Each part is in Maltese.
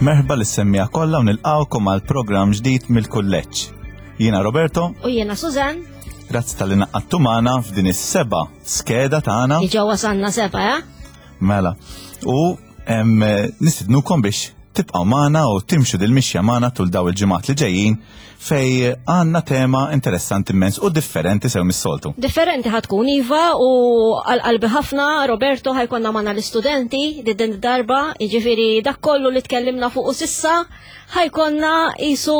Merħba lis-semmija kollha u nilqgħukom għal programm ġdid mill-kulleġġ. Jiena Roberto. U jiena Susan. Grazzi tal-li naqqattu magħna f'din is-seba' skeda tagħna. Diġà wasalna seba', eh? Mela. U nistidnukom biex tibqgħu magħna u timxu dil-mixja magħna tul daw il-ġimgħat li ġejjin fej għandna tema interessanti immens u differenti sew mis-soltu. Differenti ħatkun iva u għal-qalbi ħafna Roberto ħajkonna magħna l-istudenti din darba, jiġifieri dak kollu li tkellimna fuq u sissa ħajkonna isu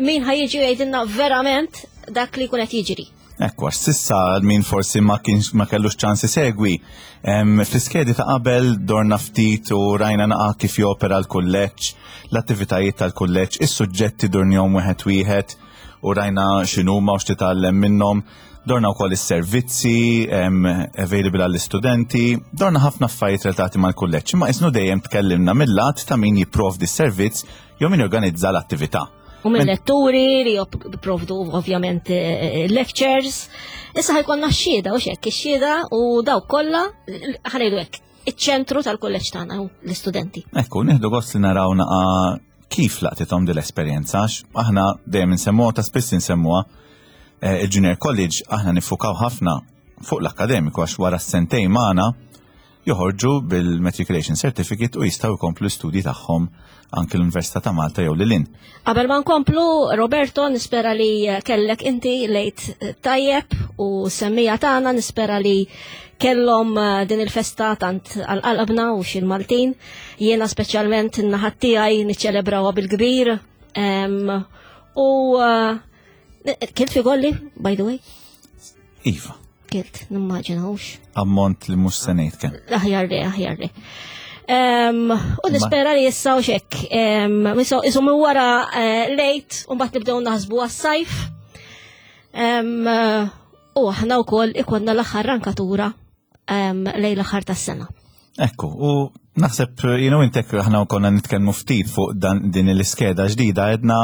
min ħajjiġi jgħidilna verament dak li jkun qed jiġri. Ekku, għax sissa min forsi ma kienx ma kellux ċans isegwi. Fl-iskedi ta' qabel dorna ftit u rajna naqa' kif jopera l-kulleġġ, l-attivitajiet tal-kulleġġ, is-suġġetti durnihom wieħed wieħed u rajna x'inhuma u x'titgħallem minnhom. Dorna wkoll is-servizzi available għall-istudenti, dorna ħafna affarijiet relatati mal-kulleġġ, imma isnu dejjem tkellimna mill-lat ta' min jipprovdi s-servizz jew min jorganizza l-attività. U minn letturi li jipprovdu ovvjament eh, lectures. Issa ħajkonna x-xhieda u xekk ix-xhieda u dawk kollha ħanejdu hekk iċ-ċentru tal-kulleġġ tagħna l-istudenti. Ekku, nieħdu gost li naraw naqa kif laqtithom din l-esperjenza għax aħna dejjem insemmuha ta' spiss insemmuha eh, il-Junior College aħna nifukaw ħafna fuq l-akkademiku għax wara s-sentejn magħna joħorġu bil-Matriculation Certificate u jistgħu jkomplu l-istudji tagħhom anke l-Università ta' Malta jew lil Qabel ma nkomplu, Roberto, nispera li kellek inti lejt tajjeb u semmija tagħna nispera li kellhom eh, din il-festa tant għal-qalbna u xil Maltin. Jiena speċjalment in-naħat tiegħi niċċelebrawha bil-kbir. U eh, Kilt fi golli, by the way? Iva. Kilt, nimmaġina hux. Ammont li mhux se ngħid kemm. Aħjar li, aħjar li. U nispera li issa u xek. Isu minn wara eh, lejt, u mbagħad nibdew naħsbu għas-sajf. U aħna wkoll ikonna l-aħħar rankatura lejn l-aħħar tas-sena. Ekku, u naħseb jienu intek aħna konna nitkellmu ftit fuq dan din l-iskeda ġdida edna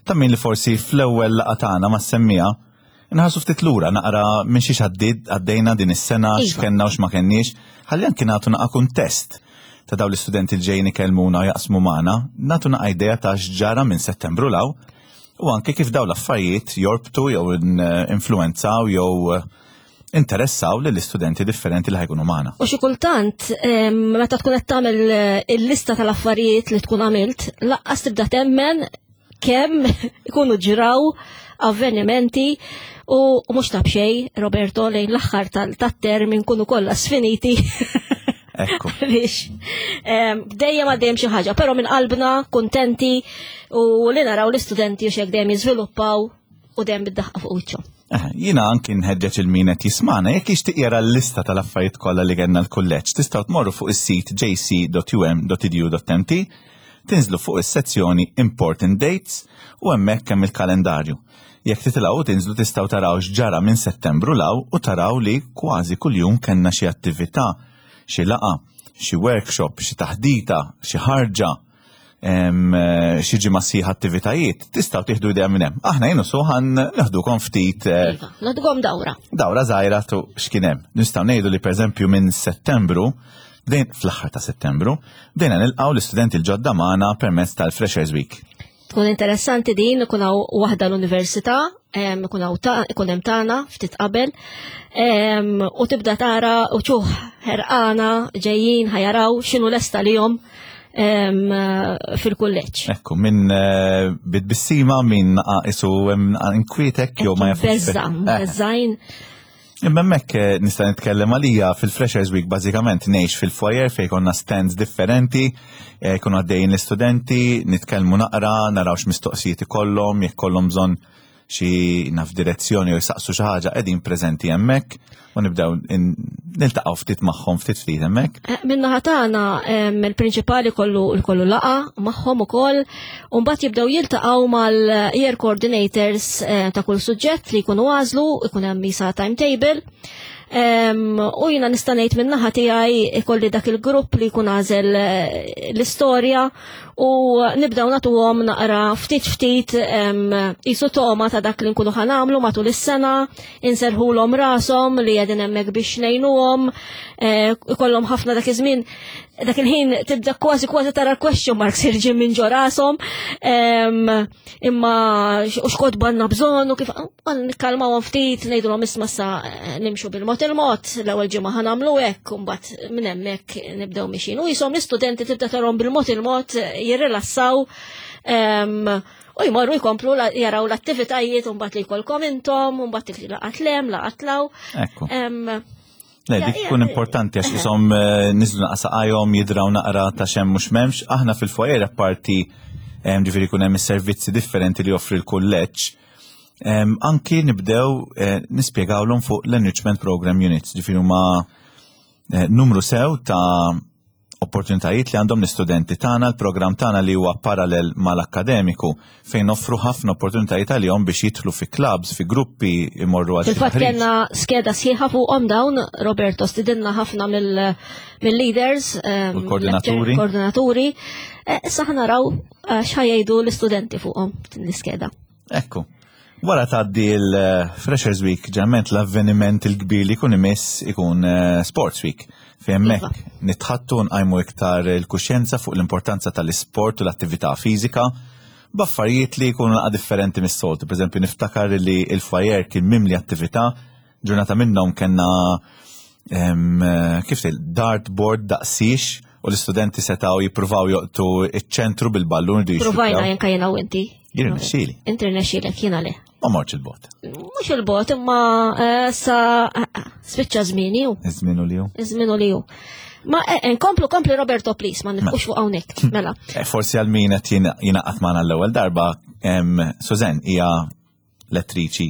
ta' min li forsi fl-ewwel laqgħa tagħna ma semmija nħarsu ftit lura naqra minn xiex għaddid għaddejna din is-sena iva. x'kenna u x'ma kenniex, ħalli anki nagħtu naqa' kuntest ta' dawn l-istudenti li ġejjin ikellmuna u jaqsmu magħna, nagħtu naqa' idea ta' x'ġara minn Settembru law u anke kif dawn l-affarijiet jorbtu jew influenzaw jew interessaw lill istudenti differenti li ħajkunu magħna. U xi kultant meta tkun qed tagħmel eh, il-lista tal-affarijiet li tkun għamilt, laqqas tibda temmen kemm ikunu ġraw avvenimenti u mhux ta' b'xej, Roberto, lejn l-aħħar tat-term inkunu kollha sfiniti. Ekku. Biex dejjem għaddejjem xi ħaġa, però minn qalbna kuntenti u li naraw l-istudenti u xek dejjem jiżviluppaw u dejjem bid-daħqa fuq wiċċhom. Eh, jina anki nħeġġeġ il-min qed jismana jekk jixtieq jara l-lista tal-affarijiet kollha li kellna l-kulleġġ, tistgħu tmorru fuq is-sit jc.um.edu.mt, tinżlu fuq is-sezzjoni Important Dates u hemmhekk hemm il-kalendarju. Jekk titilgħu u tinżlu tistgħu taraw x'ġara minn Settembru law u taraw li kważi kuljum kellna xi attività, xi laqgħa, xi workshop, xi taħdita, xi ħarġa, Eh, xi ġimgħa sħiħ attivitajiet, tistgħu tieħdu idea minn hemm. Aħna jienu suħan naħdukom ftit. Eh, iva, naħdukom dawra. Dawra żgħira tu x'kien hemm. Nistgħu ngħidu li pereżempju minn Settembru, bdejn fl-aħħar ta' Settembru, bdejna nilqgħu l-istudenti l-ġodda magħna permezz tal-Freshers Week. Tkun interessanti din ikun hawn waħda l-università, ikun hawn ikun hemm tagħna ftit qabel, u tibda tara uċuħ ħerqana ġejjin ħajaraw x'inhu lesta lihom fil-kulleġġ. Ekku, minn eh, bid-bissima, minn isu inkwietek jew ma jafux. Beżza, eh. beżżajn. Imma hemmhekk eh, nista' nitkellem għalija fil-Freshers Week bażikament ngħix fil-foyer fejn konna stands differenti, jkunu għaddejjin l-istudenti, nitkellmu naqra, naraw x'mistoqsijiet ikollhom, jekk kollhom bżonn xi naf direzzjoni u jsaqsu xi ħaġa qegħdin preżenti hemmhekk u nibdew niltaqgħu ftit magħhom ftit ftit hemmhekk. Eh, min-naħa tagħna il-prinċipali kollu kollu laqa magħhom ukoll u mbagħad jibdew jiltaqgħu mal-year coordinators eh, ta' kull suġġett li jkunu għażlu, ikun hemm isa timetable. U jina nista' ngħid min-naħa tiegħi ikolli dak il-grupp li jkun għażel eh, l-istorja u nibdew nagħtuhom naqra ftit ftit jisu toma ta' dak li nkunu ħanamlu matul is-sena, inserħulhom rashom li qegħdin hemmhekk biex ngħinuhom, eh, ikollhom ħafna dak iż-żmien. Dak il-ħin tibda kważi kważi tara l-question marks irġi minn ġo rashom, imma u xkotba għandna bżonn u kif nikkalmawhom ftit, ngħidulhom isma' sa eh, nimxu bil-mod il-mod, l-ewwel ġimgħa ħa nagħmlu hekk u mbagħad minn hemmhekk nibdew mixin. U jisom l-istudenti tibda tarhom bil-mod il-mod jirrilassaw u jmorru jkomplu jaraw l-attivitajiet u mbagħad li jkollkom intom, u mbagħad laqat lem, laqat law. Ekku. Le, dik tkun importanti għax isom eh, niżlu naqsa saqajhom jidraw naqra ta' xem mhux m'hemmx. Aħna fil-foyer apparti ġifieri jkun hemm is-servizzi differenti li joffri l-kulleġġ. Anki nibdew eh, nispjegawlhom fuq l-Enrichment Program Units, ġifieri huma eh, numru sew ta' opportunitajiet li għandhom l-istudenti tagħna, l-programm tagħna li huwa parallel mal-akkademiku fejn offru ħafna opportunitajiet għalihom biex jidħlu fi clubs, fi gruppi imorru għal Fil-fatt kellna skeda sħiħa fuqhom dawn, Roberto stidinna ħafna mill-leaders, ehm, koordinaturi. Koordinaturi. Eh, issa ħanaraw eh, x'ħajjdu l-istudenti fuqhom l-iskeda. Ekku. Wara tgħaddi l-Freshers Week, ġeneralment l-avveniment il-kbir li jkun imiss ikun eh, Sports Week. Fejn hemmhekk iva. nitħattu nqajmu iktar il-kuxjenza fuq l-importanza tal-isport u l-attività fiżika b'affarijiet li jkunu naqa' differenti mis-soltu. Per eżempju, niftakar li l-foyer kien mimli attività, ġurnata minnhom kellna kif dartboard daqsix u l-istudenti setaw jippruvaw joqtu iċ-ċentru bil-ballun. Provajna jenka jena u inti. Jien irnexxieli. Inti rnexxielek jiena le. Ma mortx il-bot. Mhux il-bot, imma eh, sa eh, eh, spiċċa żmieni hu. Iż-żmienu li hu. Iż-żmienu li hu. Ma nkomplu kompli Roberto please, ma nifqux fuq hawnhekk, mela. Forsi għal min qed jingħaqad magħna l-ewwel darba, Suzen hija lettriċi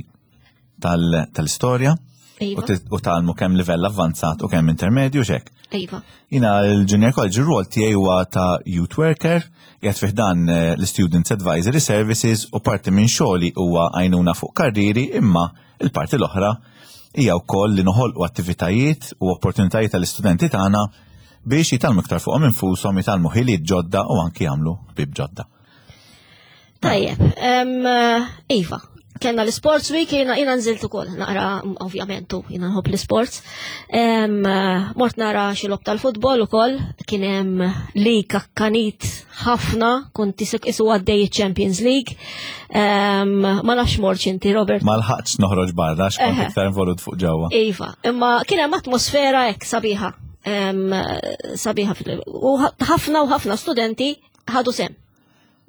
tal-istorja iva. u talmu kemm livell avvanzat u kemm intermedju xek. Iva. Jina l-Junior College ir-rol tiegħi huwa ta' youth worker, qiegħed fih dan eh, l-Students Advisory Services u parti minn xogħli huwa għajnuna fuq karriri imma il-parti l-oħra hija wkoll li noħolqu attivitajiet u opportunitajiet tal-istudenti tagħna biex jitalmu iktar fuqhom infushom, jitalmu ħiliet ġodda u anki jagħmlu ħbieb ġodda. Tajjeb, iva, kellna l-Sports Week, jina jina nżilt ukoll, naqra ovvjament u jina nħobb l-sports. Mort nara xi lob tal-futbol ukoll, kien hemm li kakkanit ħafna, kont isek isu għaddej Champions League. Ma nafx morċ inti, Robert. Ma lħaqx noħroġ barra, x'kont iktar involut fuq ġewwa. Iva, imma kien hemm atmosfera hekk sabiħa. Sabiħa u ħafna u ħafna studenti ħadu sem.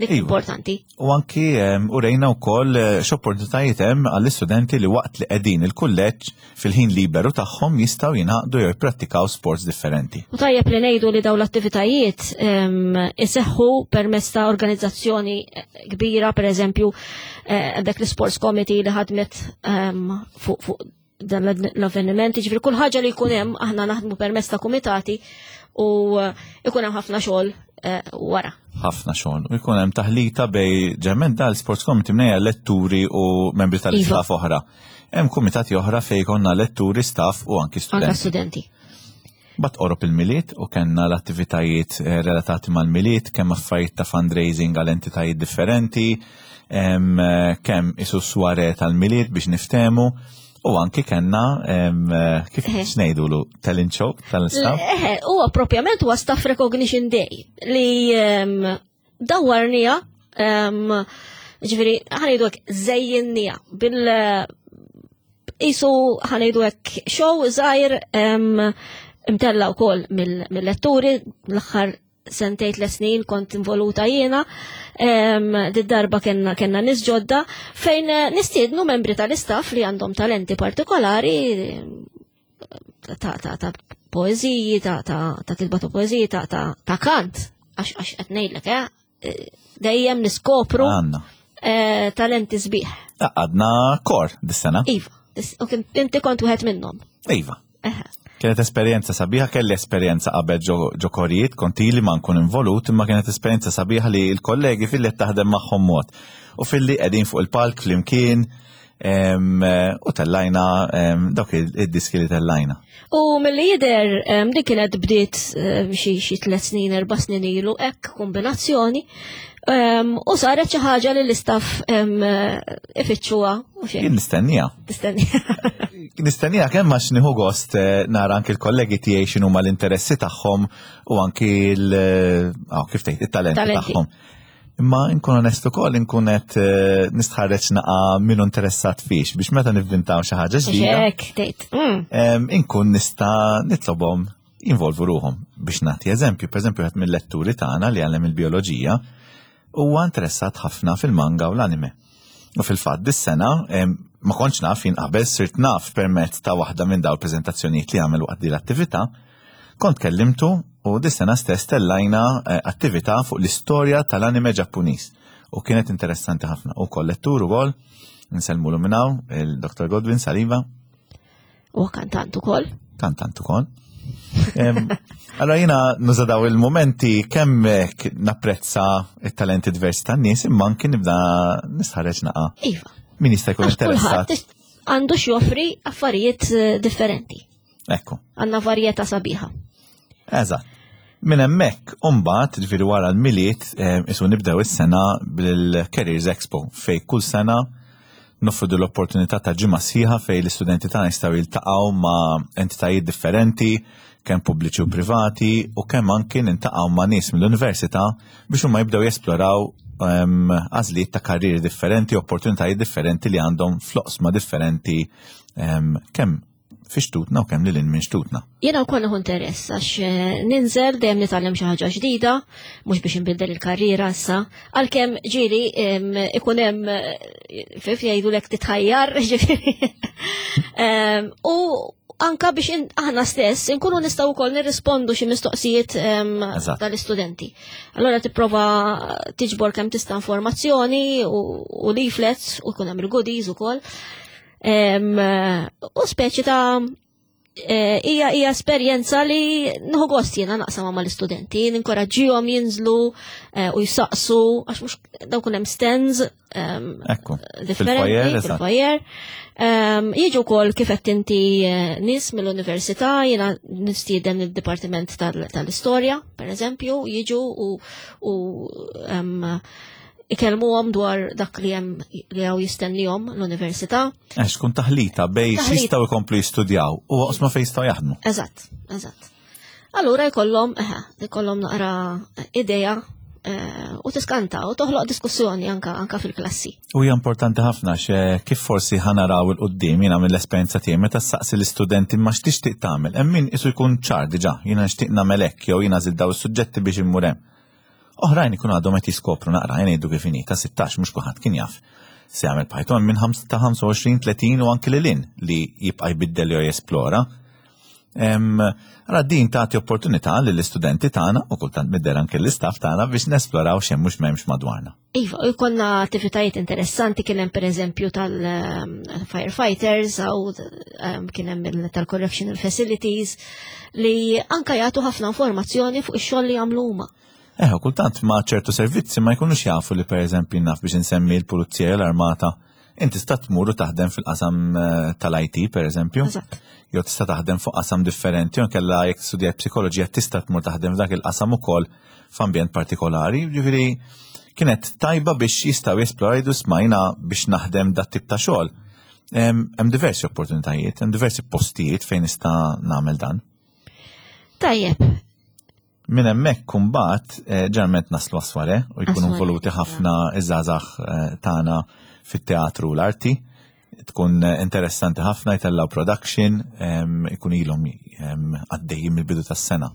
Dik iva. importanti. U anki u rejna wkoll eh, x'opportunitajiet hemm għall-istudenti li waqt li qegħdin il-kulleġġ fil-ħin liberu tagħhom jistgħu jingħaqdu jew jipprattikaw sports differenti. U tajjeb li ngħidu li dawn l-attivitajiet iseħħu permezz ta' organizzazzjoni eh, kbira, pereżempju eh, dak l-Sports Committee li ħadmet fuq dan l-avveniment, ġifri kull ħaġa li jkun hemm aħna naħdmu permezz ta' kumitati u eh, ikun hemm ħafna xogħol eh, wara. Ħafna xogħol. U jkun hemm taħlita bej ġemmen dal sports committee mnejja letturi u membri tal-istaff iva. oħra. Hemm kumitati oħra fejn konna letturi, staff u anki studenti. Anka studenti. Bat qorob il-Milied u kellna l-attivitajiet eh, relatati mal-Milied, kemm affarijiet ta' fundraising għal entitajiet differenti, eh, kemm isu sware tal-Milied biex niftemu, u anki kellna eh, kif xnejdulu talent show tal-staff. Huwa propjament huwa Staff Recognition Day li dawwarnija ġifieri ħanejdu hekk żejjinnija bil isu ħanejdu hekk show żgħir imtella wkoll mill-letturi l-aħħar sentejt le snin kont involuta jiena, did-darba kena kena nis ġodda fejn nistiednu membri tal-istaff li għandhom talenti partikolari ta' ta' ta' poeziji, ta' ta' ta' kitba ta' poeziji, ta' ta' ta' kant, għax għax qed ngħidlek, eh, eh, dejjem niskopru eh, talenti sbieħ. Għadna kor dis-sena. Iva, u inti kont wieħed minnhom. Iva. Kienet esperjenza sabiħa, kelli esperjenza qabel ġo korijiet, kont ili ma nkun involut, imma kienet esperjenza sabiħa li l-kollegi fil-li taħdem magħhom mod. U fil-li qegħdin fuq il-palk flimkien, U tellajna dawk id-diski li tellajna. U mill-li jider dik kienet bdiet xi tlet snin, erba' snin ilu hekk kombinazzjoni. U saret xi ħaġa li l-istaff ifittxuha u xejn. Jien nistennija. Nistennija. Nistennija kemm għax nieħu gost eh, nara anki l-kollegi tiegħi x'inhuma l-interessi tagħhom u anki l eh, ah, kif tgħid it-talenti tagħhom. Imma nkun onest ukoll inkun qed eh, nistħarreġ naqa' minnu interessat fiex biex meta nivvintaw xi ħaġa ġdida. Hekk tgħid. Mm. Inkun nista' nitlobhom jinvolvu ruhom biex nagħti eżempju, pereżempju wieħed mill-letturi tagħna li għallem il-bioloġija huwa interessat ħafna fil-manga u l-anime. U fil-fatt dis-sena ma kontx naf jien qabel sirt naf permezz ta' waħda minn dawn il-preżentazzjonijiet li għamel waqt din l-attività Kont kellimtu u dis-sena stess tellajna eh, attività fuq l-istorja tal-anime Ġappuniż u kienet interessanti ħafna. U kollettur ukoll, nsellmulu minn hawn, il-Dr. Godwin Saliba. U kantant ukoll. Kantant ukoll. Allora jina nuża daw il-momenti kemm napprezza it-talenti diversi tan-nies imma anki nibda nistħarreġ naqa. Iva. Min jista' jkun interessat. Għandu x'joffri affarijiet eh, differenti. Ekku. Għandna varjetà sabiħa. Eżatt. Minn hemmhekk imbagħad, ġifieri wara l-Milied, eh, isu nibdew is-sena bil-Careers Expo fej kull sena noffru l-opportunità ta' ġimgħa sħiħa fej l-istudenti tagħna jistgħu jiltaqgħu ma' entitajiet differenti, kemm pubbliċi u privati, u kemm anki nintaqgħu ma' nies mill-università biex huma jibdew jesploraw ehm, għażliet ta' karrieri differenti, opportunitajiet differenti li għandhom fl-oqsma differenti ehm, kemm fi xtutna u kemm lil minn xtutna. Jiena wkoll nieħu interess għax eh, ninżel dejjem nitgħallem xi ħaġa ġdida, mhux biex inbiddel il-karriera issa, għalkemm ġieli ikun hemm eh, fif jgħidulek titħajjar, ġifieri. U anka biex aħna stess inkunu nistgħu wkoll nirrispondu xi mistoqsijiet tal-istudenti. Allora tipprova tiġbor kemm tista' informazzjoni u leaflets u jkun hemm il-goodies ukoll. U speċi ta' eh, hija hija esperjenza li nħu gost jiena naqsam ma' l-istudenti, ninkoraġġihom jinżlu eh, u jsaqsu għax mhux dawk hemm stands differenti fil-foyer. Jiġu wkoll kif qed inti eh, nies mill-università, jiena nistieden id-dipartiment tal-istorja, pereżempju, jiġu u ikellmuhom dwar dak li hemm li hawn jistennihom l-università. Għax tkun taħlita bej jistgħu jkomplu jistudjaw u oqsma fejn jistgħu jaħdmu. Eżatt, eżatt. Allura jkollhom jkollhom naqra idea eh, u tiskanta u toħloq diskussjoni anka anka fil-klassi. U hija importanti ħafna xe kif forsi ħanaraw il-qudiem jiena mill-esperjenza tiegħi meta saqsi l-istudenti ma x'tixtieq tagħmel. Hemm min isu jkun ċar diġà, jiena nixtieq nagħmel hekk jew jiena żid daw is-suġġetti biex immur hemm. Oħrajn ikunu għadhom qed jiskopru naqra jien ngħidu kif inhi ta' 16 mhux kulħadd kien jaf se jagħmel Python minn ta' 25, 30 u anki lil hinn li jibqa' jbiddel jew jesplora. Allora din tagħti opportunità lill-istudenti tagħna u kultant midder anke l-istaff tagħna biex nesploraw x'hemm mhux m'hemmx madwarna. Iva, u jkollna attivitajiet interessanti kien hemm pereżempju tal-firefighters u kien hemm tal-correctional facilities li anka jagħtu ħafna informazzjoni fuq ix-xogħol li jagħmlu huma. Eħe, kultant ma' ċertu servizzi ma jkunux jafu li pereżempju naf biex insemmi l-pulizija l-armata inti tista' tmur u taħdem fil-qasam eh, tal-IT pereżempju. Jew tista' taħdem fuq qasam differenti, jew kella jekk studjat psikoloġija tista' tmur taħdem f'dak il-qasam ukoll f'ambjent partikolari. Ġifieri kienet tajba biex jistgħu jesploraw smajna biex naħdem dat tip ta' xogħol. Hemm diversi opportunitajiet, hemm diversi postijiet fejn nista' nagħmel dan. Tajjeb. Minn hemmhekk kumbat eh, ġeneralment naslu għas-sware u jkunu involuti ħafna iż-żgħażagħ eh, tagħna fit-teatru u l-arti. Tkun eh, interessanti ħafna jtellaw production, ikun ilhom għaddejjin mill-bidu tas-sena.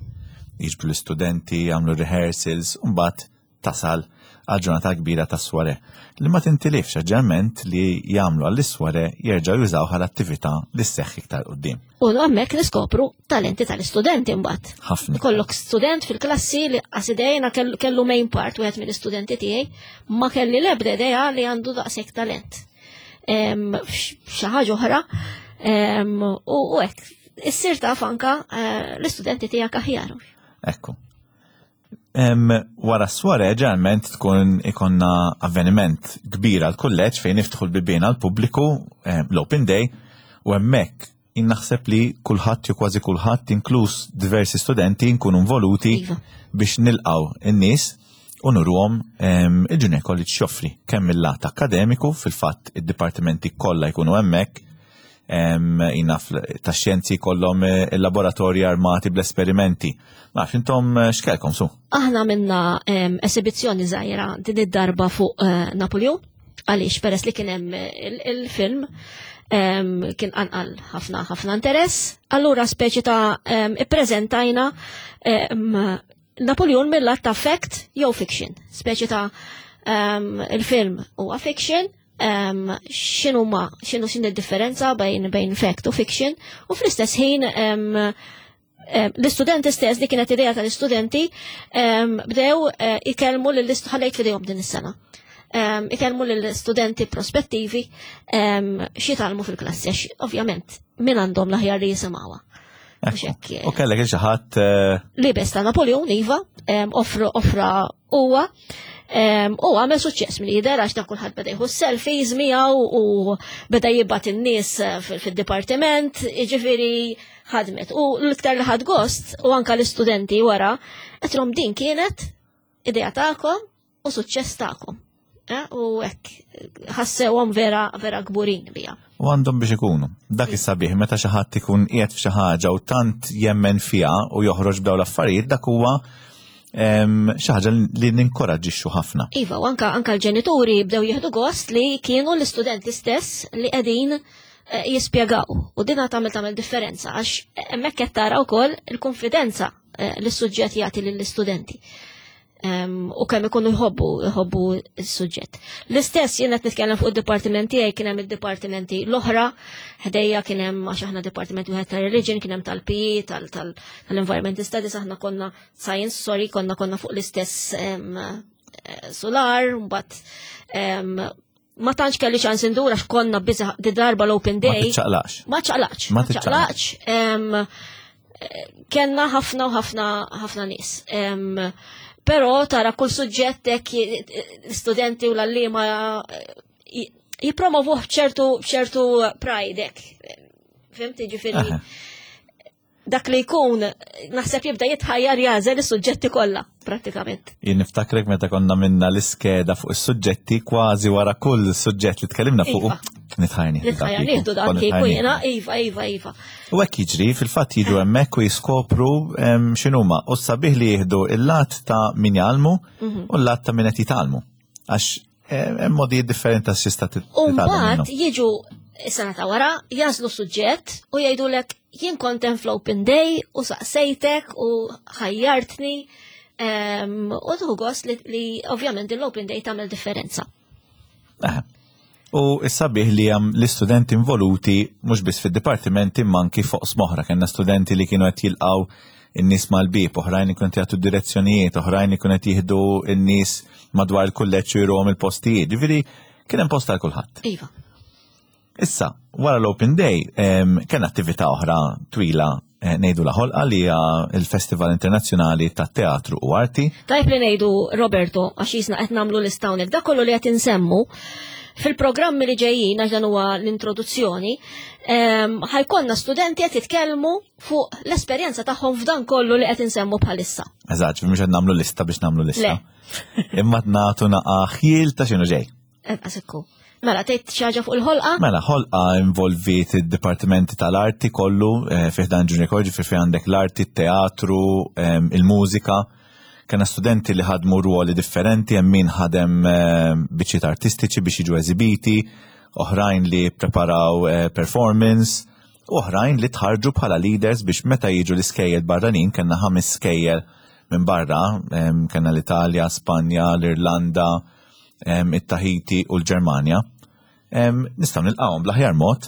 Jiġbru l-istudenti, jagħmlu rehearsals, u mbagħad tasal għal ġurnata kbira ta' sware li ma tintilifx ġerment li jagħmlu għall-isware jerġgħu jużaw għal attività li sseħħ iktar qudiem. U hemmhekk niskopru talenti tal-istudenti mbagħad. Ħafna. Kollok student fil-klassi li qasidejna kellu main part wieħed mill-istudenti tiegħi ma kelli l-ebda idea li għandu daqshekk talent. Xi ħaġa oħra u hekk issir taf anka eh, l-istudenti tiegħek aħjar. Ekku. Wara s-sware ġeneralment tkun ikonna avveniment kbir għal kulleġġ fejn niftħu l-bibien għal pubbliku l-Open Day u hemmhekk naħseb li kulħadd jew kważi kulħadd inkluż diversi studenti nkunu involuti iva. biex nilqaw in-nies u nuruhom il-Junior College x'joffri kemm mill-lat akkademiku fil-fatt id-dipartimenti kollha jkunu hemmhekk jina ta' xjenzi kollhom eh, il-laboratorji armati bl-esperimenti. Ma nafx intom eh, x'kelkom su? Aħna minna esibizzjoni żgħira din id-darba fuq eh, Napoleon għaliex peress li kien hemm il-film kien qanqal ħafna ħafna interess, allura speċi ta' ippreżentajna Napoleon mill-lat ta' fact jew fiction, speċi ta' il-film huwa fiction, um, xinu ma, xinu xin differenza bejn bejn fact u fiction, u fl-istess ħin um, l-istudenti stess, li kienet idea tal-istudenti, um, bdew uh, ikellmu l-ħallejt fidejhom din is-sena. Um, ikellmu l-istudenti prospettivi um, xitalmu fil-klassi, għax ovvjament min għandhom l-aħjar li jisimgħuha. U kellek xi ħadd eh, Libes ta' Napoleon iva, offra huwa u għamel suċċess mill jidher għax dak kulħadd beda jieħu selfies miegħu u beda jibgħat in-nies eh, fid-dipartiment, jiġifieri ħadmet. U l-iktar li ħad gost u anka l-istudenti wara, qedlhom din kienet idea tagħkom u suċċess tagħkom. Eh, u hekk ħassewhom vera vera kburin bija. U għandhom biex ikunu. Dak is-sabiħ meta xi ħadd ikun qiegħed f'xi ħaġa u tant jemmen fiha u joħroġ b'dawn l-affarijiet dak huwa xi ħaġa li ninkoraġġixxu ħafna. Iva, u anka anka l-ġenituri bdew jieħdu gost li kienu l-istudenti stess li qegħdin eh, jispjegaw. U dina tagħmel tagħmel differenza għax hemmhekk qed tara wkoll il-konfidenza eh, li s-suġġett jagħti lill-istudenti u kemm ikunu jħobbu jħobbu s-suġġett. L-istess jien qed nitkellem fuq id-dipartiment tiegħi kien hemm id-dipartimenti l-oħra, ħdejja kien hemm għax aħna dipartiment wieħed tal-religion, kien hemm tal-PE, tal-environment studies, aħna konna science, sorry, konna konna fuq l-istess eh, solar, mbagħad ma tantx kelli ċans indur għax konna biża di darba l-open day. Ma ċaqlax. Ma ċaqlax. Ma ċaqlax. Kenna ħafna u ħafna ħafna nies. Però tara kull suġġett hekk studenti u l-allima eh, jipromovuh b'ċertu b'ċertu pride hekk. Fimti ġifieri dak li jkun naħseb jibda jitħajjar jażel is-suġġetti kollha prattikament. Jien niftakrek meta konna minna l-iskeda fuq is-suġġetti kważi wara kull suġġett li tkellimna fuq iva. nitħajni. Nitħajjar nieħdu dak kieku jiena, iva, iva, iva. U hekk jiġri, fil-fatt jiġu hemmhekk u jiskopru x'inhuma u sabiħ li jieħdu il-lat ta' min jgħallmu mhm. u l-lat ta' min qed jitgħallmu. Għax hemm modi differenti ta' xista U mbagħad jiġu is-sena ta' wara jażlu suġġett u jgħidulek jien kont hemm fl-open day u saqsejtek u ħajjartni u tuħu gost li, li ovvjament l-open day tagħmel differenza. U s-sabiħ li hemm l-istudenti involuti mhux biss fid-dipartimenti imma anki fuq smoħra. Kellna studenti li kienu qed jilqgħu in-nies mal-bieb, oħrajn li kienu qed jagħtu direzzjonijiet, oħrajn li kienu qed jieħdu n-nies madwar il-kulleġġ u jruhom il-postijiet. Ġifieri kien hemm post għal kulħadd. Iva. Issa, wara l-Open Day, kien attività oħra twila eh, ngħidu la ħolqa li hija il-Festival Internazzjonali tat-Teatru u Arti. Tajb li ngħidu Roberto għax jisna qed nagħmlu lista hawnhekk dak kollu li qed insemmu fil-programmi li ġejjin għax dan huwa l-introduzzjoni, ħajkonna studenti qed jitkellmu fuq l-esperjenza tagħhom f'dan kollu li qed insemmu bħalissa. Eżatt, mhux qed nagħmlu lista biex nagħmlu lista. Imma nagħtu naqa' ħjiel ta' x'inhu ġej. Eżekku. Mela, tgħid xi ħaġa fuq il-ħolqa? Mela, ħolqa involvit id-dipartimenti tal-arti kollu eh, fih dan Junior College fi għandek l-arti, teatru, ehm, il-mużika. Kena studenti li ħadmu ruoli differenti, hemm min ħadem eh, biċċiet artistiċi biex jiġu eżibiti, oħrajn li preparaw eh, performance, oħrajn li tħarġu bħala leaders biex meta jiġu l-iskejjel barranin, kellna ħames skejjel minn barra, ehm, kellna l-Italja, Spanja, l-Irlanda, it-Tahiti u l-Ġermanja, nistgħu nilqgħuhom bl-aħjar mod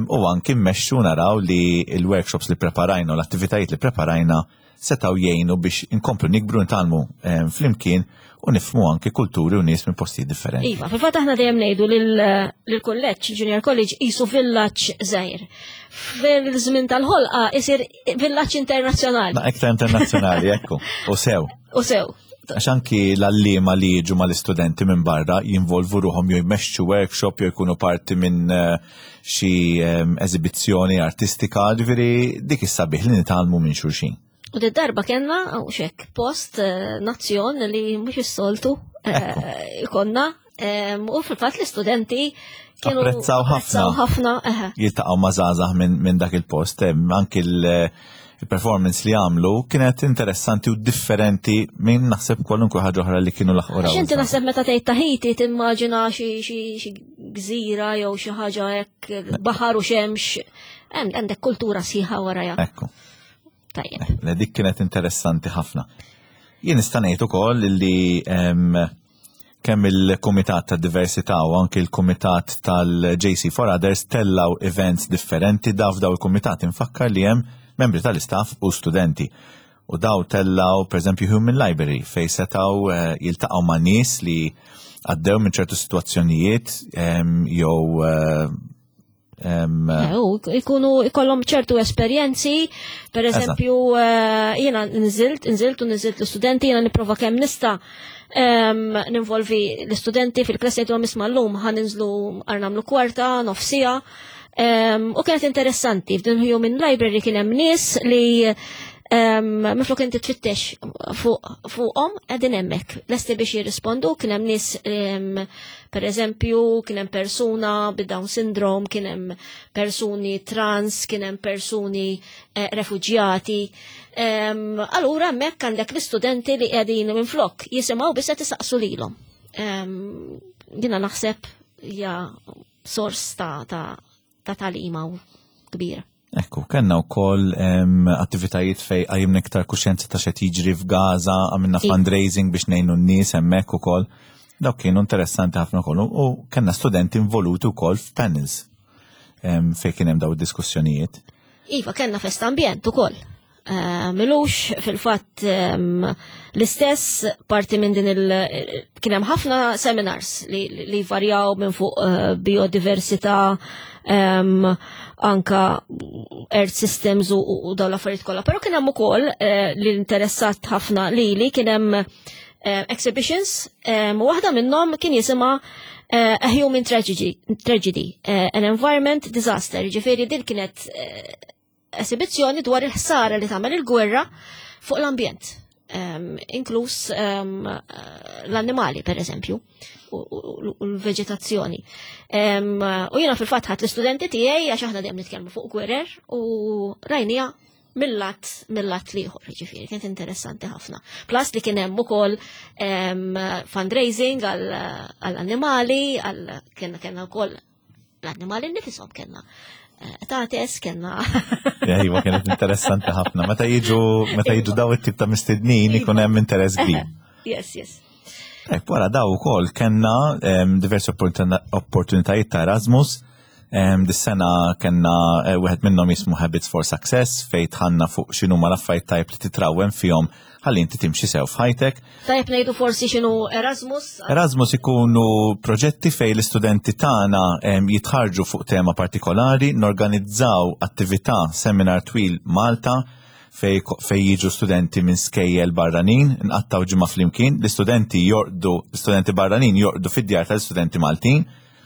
u anki mmexxu naraw li l-workshops li preparajna u l-attivitajiet li preparajna setgħu jgħinu biex inkomplu nikbru ntalmu flimkien u nifhmu anki kulturi u nies minn postijiet differenti. Iva, fil-fatt aħna dejjem ngħidu lill-kulleġġ, Junior College, qisu villaġġ żgħir. Fil-żmien tal-ħolqa isir villaġġ internazzjonali. Ma iktar internazzjonali, ekku, u sew. U sew. Għax anki l-għalliema li jiġu mal-istudenti minn barra jinvolvu ruħhom jew jmexxu workshop jew jkunu parti minn eh, xi ehm, eżibizzjoni artistika, ġifieri dik is-sabiħ li nitgħallmu minn xulxin. U d darba kellna u xek post eh, nazzjon li mhux is-soltu eh, ikonna u fil-fatt l-istudenti kienu apprezzaw ħafna. ħafna. Jiltaqgħu ma' żgħażagħ minn dak il-post, anki il-performance li għamlu kienet interessanti u differenti minn naħseb kwalunkwe ħaġa oħra li kienu laħqu raw. Inti naħseb meta tgħid Tahiti timmaġina xi gżira jew xi ħaġa hekk baħar u xemx, għandek kultura sħiħa warajha. Ekku. Tajjeb. Eh, dik kienet interessanti ħafna. Jien nista' ngħid ukoll li kemm il-Kumitat ta' Diversità u anki l-Kumitat tal-JC for Others tellaw events differenti daw f'daw il-kumitat infakkar li hemm membri tal-istaff u studenti. U daw tellaw, per eżempju, Human Library, fej setaw eh, jiltaqgħu ma' nies li għaddew minn ċertu situazzjonijiet jew eh, Eh, ikunu ikollhom ċertu esperjenzi, per eżempju, eh, jiena nżilt, nżilt u nżilt l-istudenti, jiena nipprova kemm nista' ninvolvi l-istudenti fil-klassi jgħidulhom isma' llum ħa ninżlu għar nagħmlu kwarta, nofsija. U kienet interessanti, f'din Human Library kien hemm nies li Miflok inti tfittex fuqhom qegħdin hemmhekk. Lesti biex jirrispondu, kien hemm nies per eżempju, kien hemm persuna bid-Down syndrome, kien hemm persuni trans, kien hemm persuni eh, refuġjati. Allura hemmhekk għandek l-istudenti li qegħdin minflok jisimgħu biss qed isaqsu lilhom. Jiena naħseb hija sors ta' ta' tagħlima kbira. Ekku, kellna wkoll attivitajiet fej qajjimna iktar kuxjenza ta' xed jiġri f'Gaza, għamilna fundraising biex ngħinu n-nies hemmhekk ukoll. Dawk kienu interessanti ħafna ukoll u kellna studenti involuti wkoll f'panels fej kien hemm daw id-diskussjonijiet. Iva, kellna festa ambjent ukoll. Eh, milux fil-fatt ehm, l-istess parti minn din il kien hemm ħafna seminars li, li varjaw minn fuq eh, biodiversità ehm, anka earth systems u, u dawn l-affarijiet kollha. Però kien hemm ukoll eh, li interessat ħafna lili kien hemm exhibitions ehm, u waħda minnhom kien jisimha A Human Tragedy, Tragedy An Environment Disaster. Ġifieri din kienet esibizzjoni dwar il-ħsara li tagħmel il-gwerra fuq l-ambjent, um, inkluż um, l-annimali per eżempju u l-veġetazzjoni. Um, u jiena fil-fatt ħadd l-istudenti tiegħi għax aħna dejjem nitkellmu fuq gwerer u rajnija mill-lat mill-lat liħor, ġifieri, kienet interessanti ħafna. Plus li kien hemm ukoll fundraising għall-annimali, għal kienna kellna wkoll l-annimali nifisom kellna eh, tates, kellna. Iva, kienet interessanti ħafna. Meta jiġu meta jiġu daw it-tip ta' mistednin ikun hemm interess kbir. Yes, yes. Ek, wara daw ukoll kellna diversi opportunitajiet ta' Erasmus. Dis-sena kellna eh, wieħed minnhom jismu Habits for Success fejn tħanna fuq x'inhu ma l-affarijiet tajb li titrawem fihom ħalli inti timxi sew f'ħajtek. Tajjeb ngħidu forsi x'inhu Erasmus. Erasmus ikunu proġetti fejn l-istudenti tagħna jitħarġu fuq tema partikolari, norganizzaw attività seminar twil Malta fej, fej jiġu studenti minn skejjel barranin, nqattaw ġimgħa flimkien, l-istudenti jorqdu, l-istudenti barranin jorqdu fid-djar tal-istudenti Maltin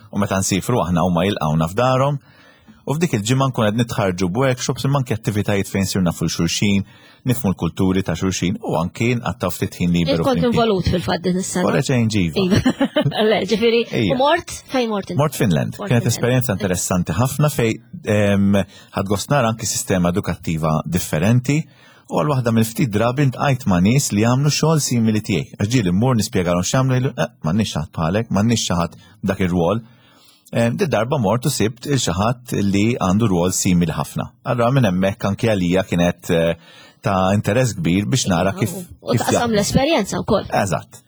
u meta nsifru aħna huma jilqgħuna f'darhom. U f'dik il-ġimgħa nkun qed nitħarġu b'workshops imma anke attivitajiet fejn sirna fuq xulxin, nifmu l-kulturi ta' xulxin u anke nqattaw ftit ħin liberu. Kont involut fil-fatt din is-sena. Wara ġejn ġiva. Iva. Le, ġifieri, u mort fejn mort? Mort Finland. Kienet esperjenza interessanti ħafna fej ħad gost nara anke sistema edukattiva differenti. U għal waħda mill-ftit drabi ntqajt ma' nies li jagħmlu xogħol simili tiegħi. Għax ġieli mmur nispjegalhom x'jagħmlu jgħidu, eh, m'għandniex xi ħadd bħalek, m'għandniex xi ħadd dak ir-rwol. Di darba mort u sibt il xi ħadd li għandu rwol simili ħafna. Allura minn hemmhekk anke għalija kienet eh, ta' interess kbir biex nara kif. U taqsam l-esperjenza wkoll. Eżatt.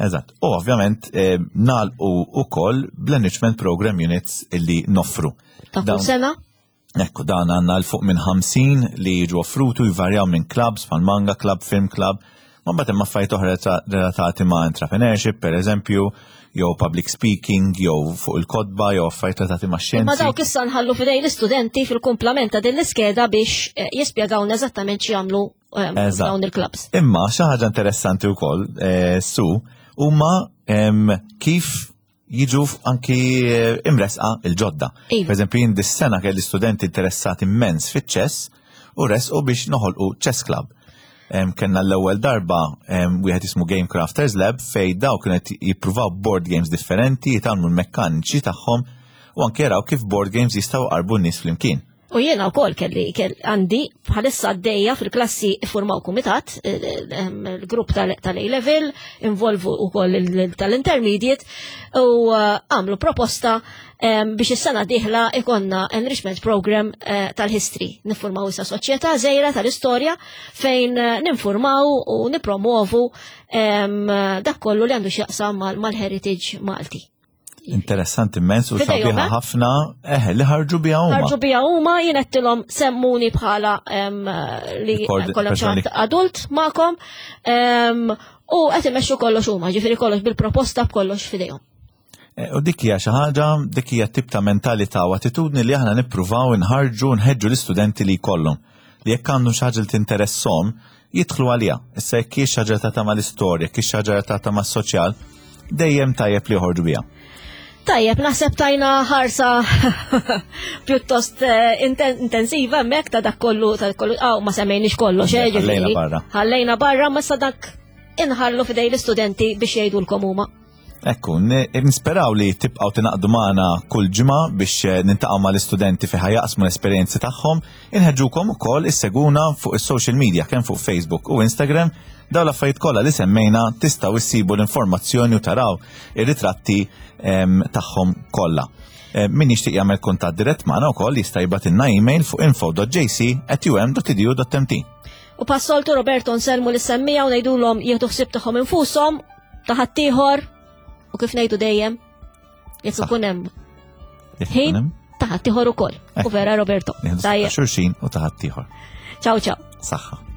Eżatt. U ovvjament eh, nagħlqu ukoll bl-Enrichment Program Units illi noffru. Ta' kull sena? Ekku dan għandna l fuq minn 50 li jiġu offrutu jvarjaw minn clubs bħal manga club, film club, Ma mbagħad hemm affarijiet oħra relatati ma' entrepreneurship, per eżempju, jew public speaking, jew fuq il-kotba, jew affarijiet relatati ma' xjenzi. Ma dawk issa nħallu fidej l-istudenti fil-kumplament ta' din l-iskeda biex eh, jispjegawna eżattament x'jagħmlu eh, dawn il-clubs. Imma xi ħaġa interessanti wkoll, eh, su, huma kif jiġu anki eh, imresqa il-ġodda. Iva. Per eżempju, jien dis-sena kelli studenti interessati immens fiċ-ċess u resqu biex noħolqu chess club. Kenna l-ewwel darba wieħed jismu Game Crafters Lab fej daw kienet jippruvaw board games differenti, jitgħallmu l-mekkaniċi tagħhom u anke jaraw kif board games jistgħu qarbu n-nies flimkien. U jiena wkoll kelli għandi bħalissa għaddejja fil-klassi iffurmaw kumitat, eh, eh, il-grupp tal-A-level, involvu wkoll tal-intermediate, u eh, għamlu proposta biex is-sena diħla ikonna enrichment program tal-history. Niffurmaw issa soċjetà żejra tal-istorja fejn ninfurmaw u nipromovu dak kollu li għandu x'jaqsam mal-heritage Malti. Interessanti immens u sabiħa eh? ħafna, eh, li ħarġu biha huma. Ħarġu biha huma jien qedtilhom semmuni bħala li kollhom xi adult magħkom u qed imexxu kollox huma, ġifieri kollox bil-proposta b'kollox f'idejhom. Eh, u dik hija xi ħaġa, dik hija tip ta' mentalità u attitudni li aħna nippruvaw inħarġu nħeġġu l-istudenti li jkollhom. Li jekk għandhom xi ħaġa li tinteresshom, jidħlu għaliha. Issa jekk hi xi ħaġa relatata mal-istorja, jekk hi xi ħaġa relatata mas-soċjal, dejjem tajjeb li joħorġu biha. Tajjeb, naħseb tajna ħarsa pjuttost eh, intensiva hemmhekk ta' dak kollu ta' kollu aw ma semmejniex kollox, eh, ħallejna barra. Ħallejna barra ma sa dak inħallu fidej l-istudenti biex jgħidulkom huma. Ekku, nisperaw li tibqgħu tingħaqdu magħna kull ġimgħa biex eh, nintaqgħu mal-istudenti fi jaqsmu l-esperjenzi tagħhom. Inħeġġukom ukoll isseguna fuq is-social media kemm fuq Facebook u Instagram. Dawn l-affarijiet kollha li semmejna tistgħu issibu l-informazzjoni u taraw ir-ritratti ehm, tagħhom kollha. Eh, min jixtieq jagħmel kuntatt dirett magħna wkoll jista' jibgħatilna email fuq info.jc@um.edu.mt. U passoltu Roberto nsellmu lis-semmija u ngħidulhom jieħdu ħsieb tagħhom infushom ta' ħaddieħor u kif ngħidu dejjem jekk ikun hemm ħin ta' ħaddieħor ukoll. U vera Roberto. Tajjeb. Xulxin u ta' ħaddieħor. Ciao ciao. Saħħa.